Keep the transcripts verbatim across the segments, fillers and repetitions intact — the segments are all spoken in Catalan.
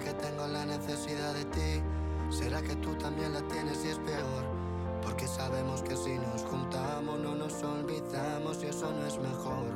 que tengo la necesidad de ti. ¿Será que tú también la tienes y es peor? Porque sabemos que si nos juntamos no nos olvidamos y eso no es mejor.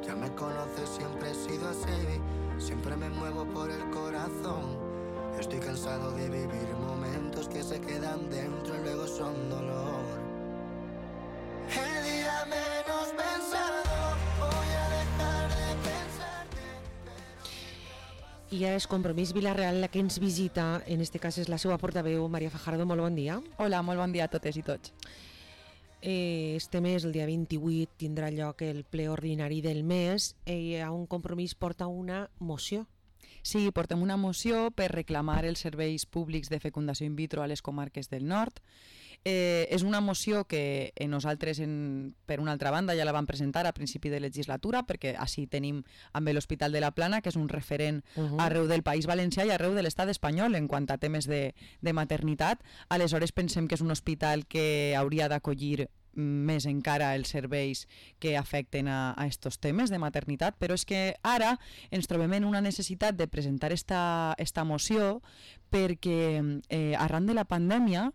Ya me conoces, siempre he sido así, siempre me muevo por el corazón. Estoy cansado de vivir momentos que se quedan dentro y luego son dolor. El día menos pensado voy a dejar de pensarte. I ara és Compromís Vila-real la que ens visita, en este cas és la seva portaveu, Maria Fajardo. Molt bon dia. Hola, molt bon dia a totes i tots. Eh, este mes, el dia vint-i-vuit, tindrà lloc el ple ordinari del mes i a un Compromís porta una moció. Sí, portem una moció per reclamar els serveis públics de fecundació in vitro a les comarques del nord. Eh, és una moció que nosaltres, en, per una altra banda, ja la vam presentar a principi de legislatura, perquè així tenim amb l'Hospital de la Plana, que és un referent uh-huh. arreu del País Valencià i arreu de l'estat espanyol en quant a temes de, de maternitat. Aleshores pensem que és un hospital que hauria d'acollir més encara els serveis que afecten a, a estos temes de maternitat, però és que ara ens trobem en una necessitat de presentar esta, esta moció perquè eh, arran de la pandèmia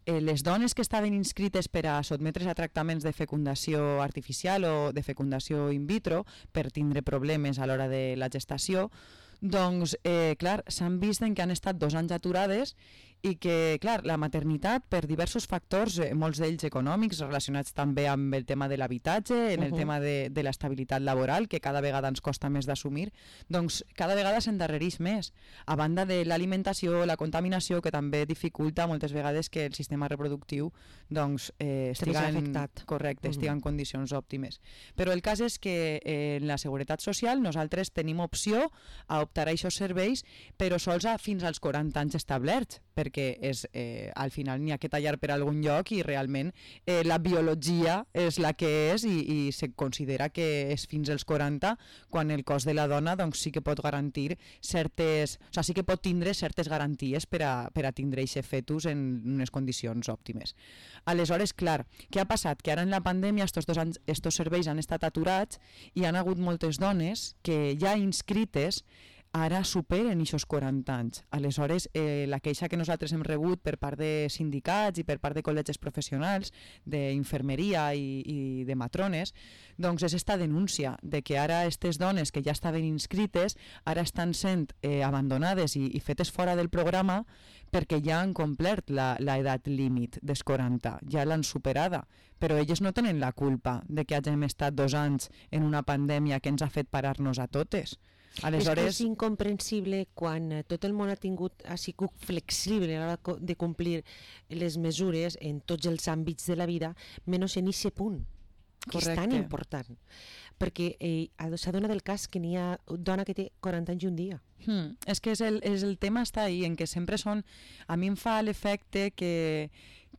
Eh, les dones que estaven inscrites per a sotmetre's a tractaments de fecundació artificial o de fecundació in vitro per tindre problemes a l'hora de la gestació, doncs, eh, clar, s'han vist en que han estat dos anys aturades i que, clar, la maternitat, per diversos factors, eh, molts d'ells econòmics, relacionats també amb el tema de l'habitatge, en el uh-huh. tema de, de l'estabilitat laboral, que cada vegada ens costa més d'assumir, doncs cada vegada s'endarrereix més, a banda de l'alimentació, la contaminació, que també dificulta moltes vegades que el sistema reproductiu doncs, eh, estiga, en, correcte, uh-huh. estiga en condicions òptimes. Però el cas és que eh, en la Seguretat Social nosaltres tenim opció a optar a aquests serveis, però sols a fins als quaranta anys establerts, perquè és, eh, al final n'hi ha que tallar per algun lloc i realment eh, la biologia és la que és i, i se considera que és fins als quaranta quan el cos de la dona doncs, sí que pot garantir certes, o sigui, sí que pot tindre certes garanties per a, per a tindre aquest fetus en unes condicions òptimes. Aleshores, clar, què ha passat? Que ara en la pandèmia estos dos anys, estos serveis han estat aturats i han hagut moltes dones que ja inscrites ara superen aquests quaranta anys. Aleshores, eh, la queixa que nosaltres hem rebut per part de sindicats i per part de col·legis professionals d'infermeria i, i de matrones, doncs és esta denúncia de que ara aquestes dones que ja estaven inscrites ara estan sent eh, abandonades i, i fetes fora del programa perquè ja han complert l'edat límit dels quaranta, ja l'han superada, però elles no tenen la culpa de que hagin estat dos anys en una pandèmia que ens ha fet parar-nos a totes. Aleshores... És que és incomprensible quan tot el món ha tingut ha sigut flexible a l'hora de complir les mesures en tots els àmbits de la vida, menys en aquest punt, que Correcte. És tan important. Perquè eh, s'ha donat el cas que n'hi ha dona que té quaranta anys i un dia. Hmm. És que és el, és el tema està ahí, en que sempre són... A mi em fa l'efecte que...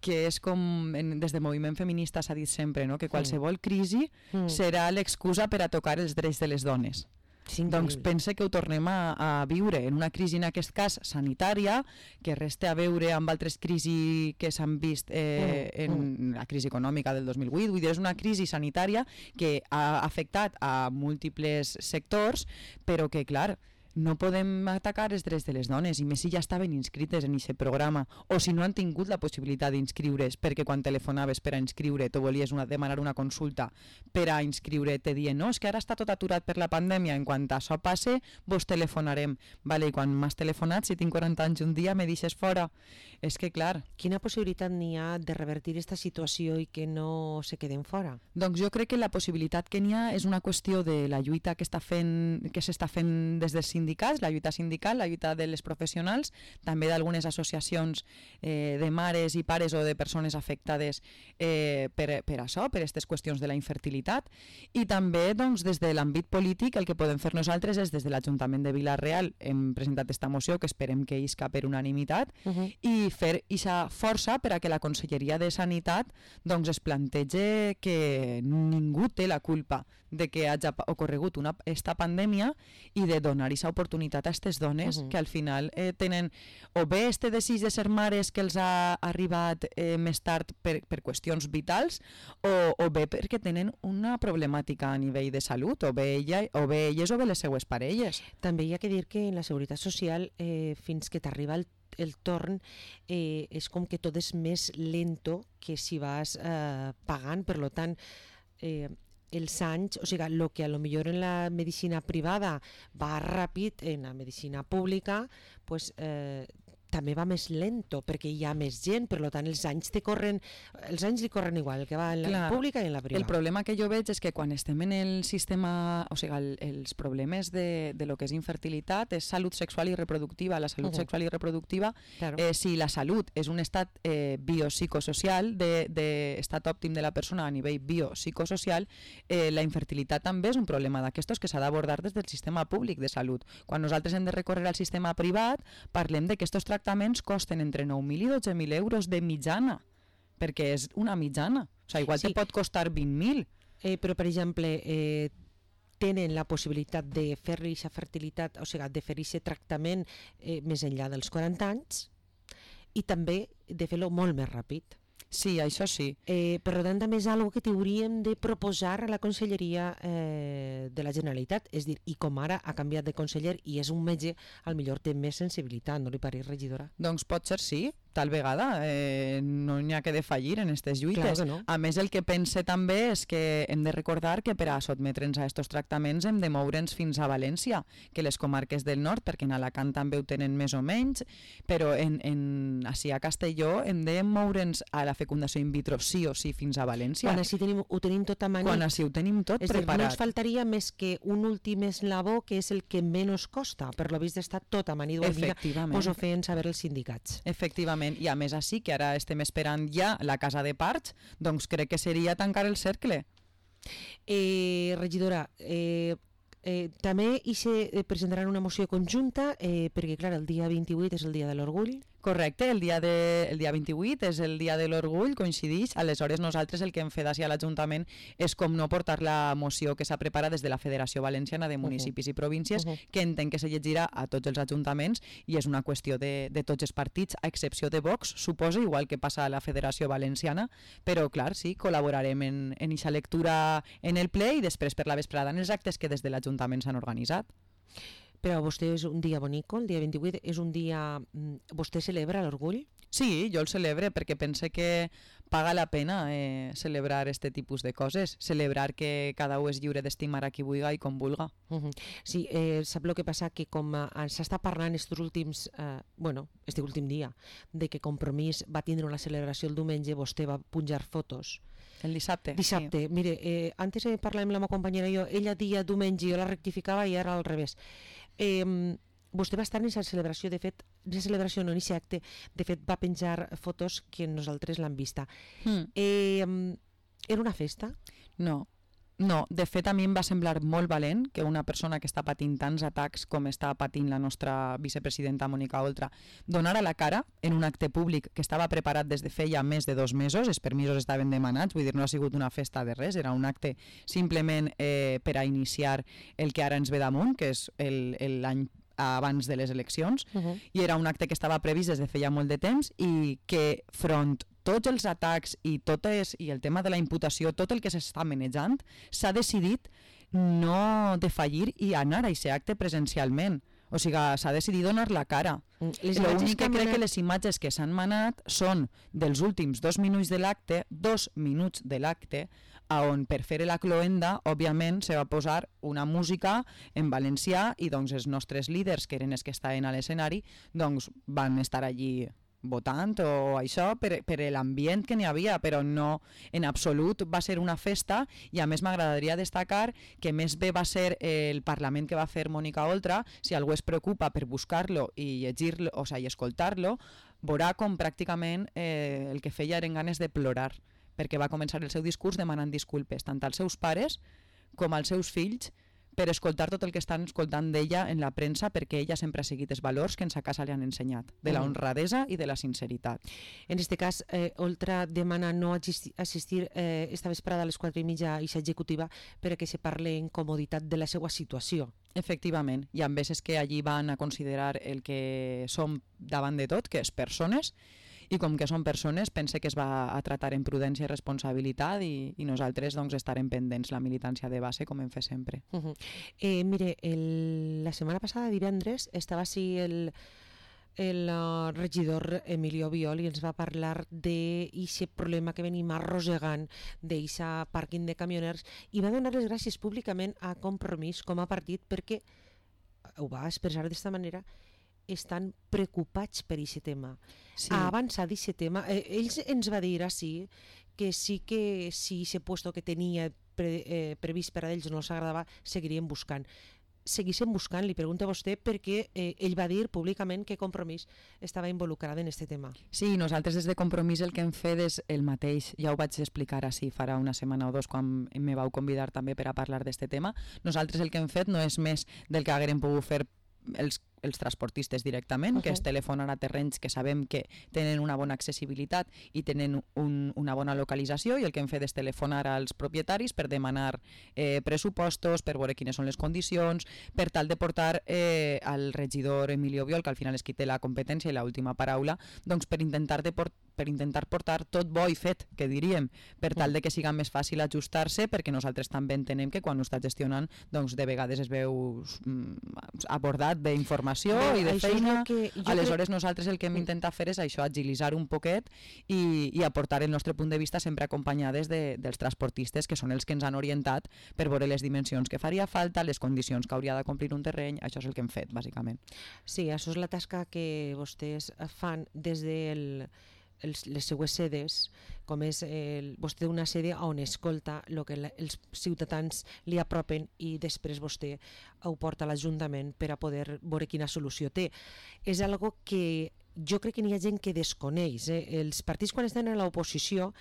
que és com, en, des del moviment feminista s'ha dit sempre, no? Que qualsevol crisi mm. serà l'excusa per a tocar els drets de les dones. Sí, doncs pense que ho tornem a, a viure en una crisi, en aquest cas sanitària, que resta a veure amb altres crisis que s'han vist eh, mm, en mm. la crisi econòmica del dos mil vuit. Vull dir, és una crisi sanitària que ha afectat a múltiples sectors, però que, clar, no podem atacar els drets de les dones, i més si ja estaven inscrites en aquest programa, o si no han tingut la possibilitat d'inscriure's, perquè quan telefonaves per a inscriure tu volies una, demanar una consulta per a inscriure, te dient, no, és que ara està tot aturat per la pandèmia, en quant a això passe vos telefonarem, vale, i quan m'has telefonat, si tinc quaranta anys un dia me deixes fora. És que clar, quina possibilitat n'hi ha de revertir aquesta situació i que no se queden fora? Doncs jo crec que la possibilitat que n'hi ha és una qüestió de la lluita que està fent, que s'està fent des dels sindicats, la lluita sindical, la lluita de les professionals, també d'algunes associacions eh, de mares i pares o de persones afectades eh, per, per això, per aquestes qüestions de la infertilitat, i també doncs, des de l'àmbit polític el que podem fer nosaltres és des de l'Ajuntament de Vila-real hem presentat esta moció que esperem que isca per unanimitat uh-huh. i fer aquesta força per a que la Conselleria de Sanitat doncs, es plantege que ningú té la culpa de que hagi ocorregut una, esta pandèmia i de donar aquesta oportunitat a aquestes dones Uh-huh. que al final eh, tenen o bé este desig de ser mares que els ha arribat eh, més tard per, per qüestions vitals o, o bé perquè tenen una problemàtica a nivell de salut, o bé, ella, o bé elles o bé les seues parelles. També hi ha que dir que en la Seguretat Social, eh, fins que t'arriba el, el torn, eh, és com que tot és més lento que si vas eh, pagant, per lo tant, eh, els anys, o sigui, el que a lo millor en la medicina privada va ràpid, en la medicina pública, pues, eh, també va més lento, perquè hi ha més gent, per tant els anys te corren, els anys li corren igual, el que va en la Clar, pública i en la privada. El problema que jo veig és que quan estem en el sistema, o sigui, el, els problemes de, de lo que és infertilitat és salut sexual i reproductiva. La salut Uh-huh. sexual i reproductiva, Claro. eh, si la salut és un estat eh, biopsicosocial, de, de estat òptim de la persona a nivell biopsicosocial, eh, la infertilitat també és un problema d'aquestos que s'ha d'abordar des del sistema públic de salut. Quan nosaltres hem de recórrer al sistema privat, parlem de que estos tractaments costen entre nou mil i dotze mil euros de mitjana, perquè és una mitjana. O sigui, igual Sí. te pot costar vint mil. Eh, però, per exemple, eh, tenen la possibilitat de fer-li aquesta fertilitat, o sigui, de fer aquest tractament eh, més enllà dels quaranta anys i també de fer-lo molt més ràpid. Sí, això sí. Eh, per tant, també és una que t'hauríem de proposar a la Conselleria eh, de la Generalitat. És dir, i com ara ha canviat de conseller i és un metge, al millor té més sensibilitat, no li pareix, regidora? Doncs pot ser sí, tal vegada. Eh, no n'hi ha que defallir en aquestes lluites. Clar que no. A més, el que pense també és que hem de recordar que per a sotmetre'ns a aquests tractaments hem de moure'ns fins a València, que les comarques del nord, perquè en Alacant també ho tenen més o menys, però en, en, així a Castelló hem de moure'ns a la fecundació in vitro sí o sí fins a València. Quan així tenim, ho tenim tot a mani. Quan així ho tenim tot és dir, no preparat. ens faltaria més que un últim eslabó, que és el que menys costa. Per lo vist està tot a mani. Efectivament. Pues ho feien saber els sindicats. Efectivament, i a més així, que ara estem esperant ja la casa de parts, doncs crec que seria tancar el cercle. Eh, regidora, eh, eh, també hi se eh, presentaran una moció conjunta, eh, perquè clar, el dia vint-i-vuit és el dia de l'orgull. Correcte, el dia, de, el dia vint-i-vuit és el dia de l'orgull, coincideix, aleshores nosaltres el que hem fet així a l'Ajuntament és com no portar la moció que s'ha preparat des de la Federació Valenciana de Municipis uh -huh. i Províncies, uh -huh. que entenc que se llegirà a tots els ajuntaments i és una qüestió de, de tots els partits, a excepció de Vox, suposa, igual que passa a la Federació Valenciana, però clar, sí, col·laborarem en eixa lectura en el ple i després per la vesprada en els actes que des de l'Ajuntament s'han organitzat. Però vostè és un dia bonico, el dia vint-i-vuit, és un dia... Vostè celebra l'orgull? Sí, jo el celebre perquè pense que paga la pena eh, celebrar este tipus de coses, celebrar que cada un és lliure d'estimar a qui vulga i com vulga. Uh -huh. Sí, eh, sap el que passa? Que com eh, s'està parlant estos últims, eh, bueno, este últim dia, de que Compromís va tindre una celebració el diumenge, vostè va punjar fotos. El dissabte? Dissabte. Sí. Mire, eh, antes eh, parlàvem amb la meva companyera i jo, ella dia diumenge, jo la rectificava i ara al revés. Eh, vostè va estar en aquesta celebració, de fet, en aquesta celebració, no en aquest acte, de fet va penjar fotos que nosaltres l'hem vista. Mm. Eh, era una festa? No. No, de fet a mi em va semblar molt valent que una persona que està patint tants atacs com està patint la nostra vicepresidenta Mònica Oltra donara la cara en un acte públic que estava preparat des de feia més de dos mesos, els permisos estaven demanats, vull dir, no ha sigut una festa de res, era un acte simplement eh, per a iniciar el que ara ens ve damunt, que és l'any abans de les eleccions, uh -huh. i era un acte que estava previst des de feia molt de temps i que front tots els atacs i, totes, i el tema de la imputació, tot el que s'està manejant, s'ha decidit no defallir i anar a aquest acte presencialment. O sigui, s'ha decidit donar la cara. L'únic que crec que les imatges que s'han manat són dels últims dos minuts de l'acte, dos minuts de l'acte, on per fer la cloenda, òbviament, se va posar una música en valencià i doncs els nostres líders, que eren els que estaven a l'escenari, doncs van estar allí votant o això per, per l'ambient que n'hi havia, però no en absolut va ser una festa i a més m'agradaria destacar que més bé va ser el Parlament que va fer Mònica Oltra. Si algú es preocupa per buscar-lo i llegir-lo, o sigui, escoltar-lo, veurà com pràcticament eh, el que feia eren ganes de plorar, perquè va començar el seu discurs demanant disculpes tant als seus pares com als seus fills per escoltar tot el que estan escoltant d'ella en la premsa, perquè ella sempre ha seguit els valors que ens a casa li han ensenyat, de la honradesa i de la sinceritat. En aquest cas, eh, Oltra demana no assistir eh, esta vesprada a les quatre i mitja a aquesta executiva perquè se parle en comoditat de la seva situació. Efectivament, hi ha veces que allí van a considerar el que som davant de tot, que és persones, i com que són persones, pense que es va a tratar en prudència i responsabilitat i, i nosaltres doncs, estarem pendents la militància de base com hem fet sempre. Uh -huh. eh, mire, el, la setmana passada, divendres, estava així el, el uh, regidor Emilio Biol i ens va parlar d'aquest problema que venim arrossegant d'aquest pàrquing de camioners i va donar les gràcies públicament a Compromís com a partit perquè, ho va expressar d'esta manera, estan preocupats per aquest tema. Sí. Ha avançat aquest tema. Eh, ells ens va dir així que sí que si aquest puesto que tenia pre, eh, previst per a ells no els agradava, seguirien buscant. Seguissin buscant, li pregunto a vostè, perquè eh, ell va dir públicament que Compromís estava involucrat en aquest tema. Sí, nosaltres des de Compromís el que hem fet és el mateix. Ja ho vaig explicar així farà una setmana o dos quan me vau convidar també per a parlar d'aquest tema. Nosaltres el que hem fet no és més del que haguérem pogut fer els els transportistes directament, uh-huh. que és telefonar a terrenys que sabem que tenen una bona accessibilitat i tenen un, una bona localització, i el que hem fet és telefonar als propietaris per demanar eh, pressupostos, per veure quines són les condicions, per tal de portar eh, al regidor Emilio Biol, que al final és qui té la competència i l'última paraula, doncs per intentar de port per intentar portar tot bo i fet, que diríem, per tal de que siga més fàcil ajustar-se, perquè nosaltres també entenem que quan ho està gestionant, doncs de vegades es veu abordat d'informació i de feina. Aleshores nosaltres el que hem intentat fer és això, agilitzar un poquet i, i aportar el nostre punt de vista sempre acompanyades de, dels transportistes, que són els que ens han orientat per veure les dimensions que faria falta, les condicions que hauria de complir un terreny. Això és el que hem fet, bàsicament. Sí, això és la tasca que vostès fan des del Els, les seues sedes, com és el, vostè una sede on escolta el que la, els ciutadans li apropen i després vostè ho porta a l'Ajuntament per a poder veure quina solució té. És algo que jo crec que n'hi ha gent que desconeix. Eh? Els partits quan estan a l'oposició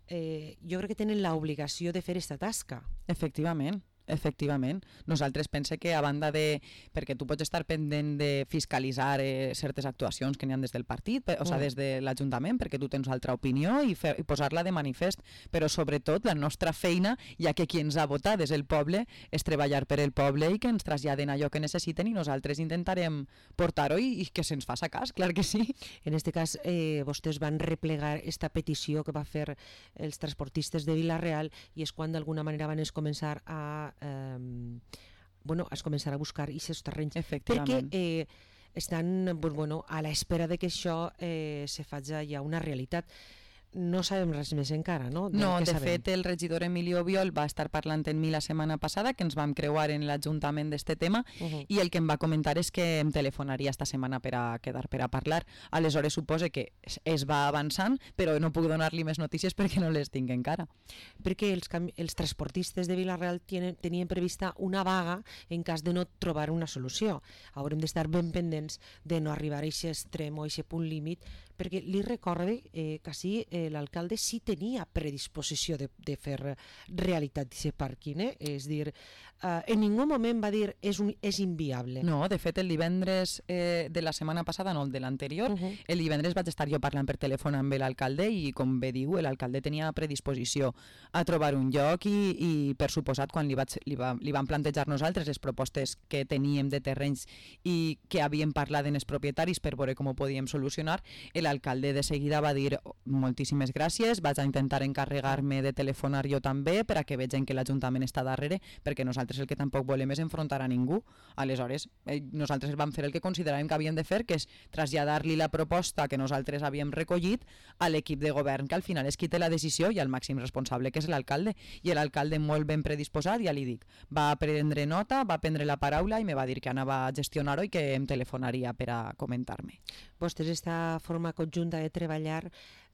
eh, jo crec que tenen l'obligació de fer aquesta tasca. Efectivament. Efectivament. Nosaltres pense que a banda de... perquè tu pots estar pendent de fiscalitzar eh, certes actuacions que n'hi ha des del partit, o sigui, des de l'Ajuntament, perquè tu tens altra opinió i, fer, i posar-la de manifest, però sobretot la nostra feina, ja que qui ens ha votat és el poble, és treballar per el poble i que ens traslladen allò que necessiten i nosaltres intentarem portar-ho i, i que se'ns faça cas, clar que sí. En aquest cas, eh, vostès van replegar esta petició que va fer els transportistes de Vila-real i és quan d'alguna manera van començar a Um, bueno, es començarà a buscar aquests terrenys perquè eh, estan bueno, a l'espera de que això eh, se faci ja una realitat. No sabem res més encara, no? De no, de sabem. fet el regidor Emilio Biol va estar parlant en mi la setmana passada, que ens vam creuar en l'Ajuntament d'este tema, uh-huh. i el que em va comentar és que em telefonaria esta setmana per a quedar per a parlar. Aleshores supose que es va avançant, però no puc donar-li més notícies perquè no les tinc encara. Perquè els, els transportistes de Vila-real tenien, tenien prevista una vaga en cas de no trobar una solució. Haurem d'estar ben pendents de no arribar a aquest extrem o a aquest punt límit, perquè li recorde eh, que sí, eh, l'alcalde sí tenia predisposició de, de fer realitat d'aquest pàrquing, eh? És dir, eh, en ningú moment va dir és, un, és inviable. No, de fet el divendres eh, de la setmana passada, no el de l'anterior, uh-huh. el divendres vaig estar jo parlant per telèfon amb l'alcalde i com bé diu, l'alcalde tenia predisposició a trobar un lloc i, i per suposat quan li, vaig, li, va, li van plantejar nosaltres les propostes que teníem de terrenys i que havíem parlat amb els propietaris per veure com ho podíem solucionar, l'alcalde de seguida va dir moltíssimes gràcies, vaig a intentar encarregar-me de telefonar jo també per a que vegin que l'Ajuntament està darrere, perquè nosaltres el que tampoc volem és enfrontar a ningú. Aleshores, eh, nosaltres vam fer el que consideràvem que havíem de fer, que és traslladar-li la proposta que nosaltres havíem recollit a l'equip de govern, que al final és qui té la decisió i el màxim responsable, que és l'alcalde. I l'alcalde molt ben predisposat, ja li dic, va prendre nota, va prendre la paraula i me va dir que anava a gestionar-ho i que em telefonaria per a comentar-me. Vostès esta forma conjunta de treballar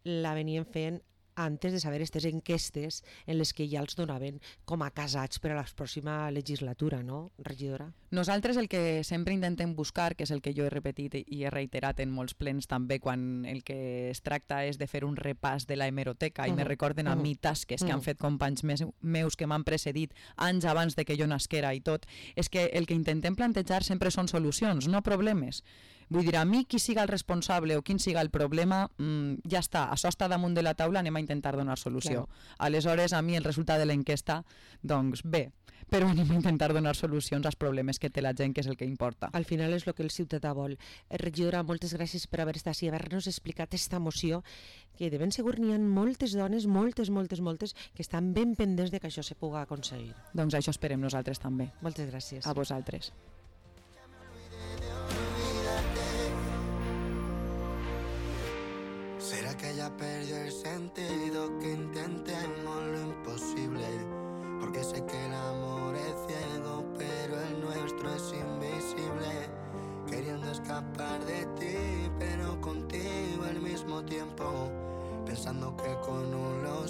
la venien fent antes de saber aquestes enquestes en les que ja els donaven com a casats per a la pròxima legislatura, no, regidora? Nosaltres el que sempre intentem buscar, que és el que jo he repetit i he reiterat en molts plens també, quan el que es tracta és de fer un repàs de la hemeroteca, uh -huh. i me recorden a uh -huh. mi tasques que uh -huh. han fet companys meus que m'han precedit anys abans de que jo nasquera i tot, és que el que intentem plantejar sempre són solucions, no problemes. Vull dir, a mi qui siga el responsable o quin siga el problema, mmm, ja està, això està damunt de la taula, anem a intentar donar solució. Claro. Aleshores, a mi el resultat de l'enquesta, doncs bé, però anem a intentar donar solucions als problemes que té la gent, que és el que importa. Al final és el que el ciutadà vol. Regidora, moltes gràcies per haver estat així, haver-nos explicat aquesta moció, que de ben segur n'hi ha moltes dones, moltes, moltes, moltes, que estan ben pendents de que això se pugui aconseguir. Doncs això esperem nosaltres també. Moltes gràcies. A vosaltres. ¿Será que ya perdió el sentido que intentemos lo imposible? Porque sé que el amor es ciego, pero el nuestro es invisible. Queriendo escapar de ti, pero contigo al mismo tiempo. Pensando que con un lo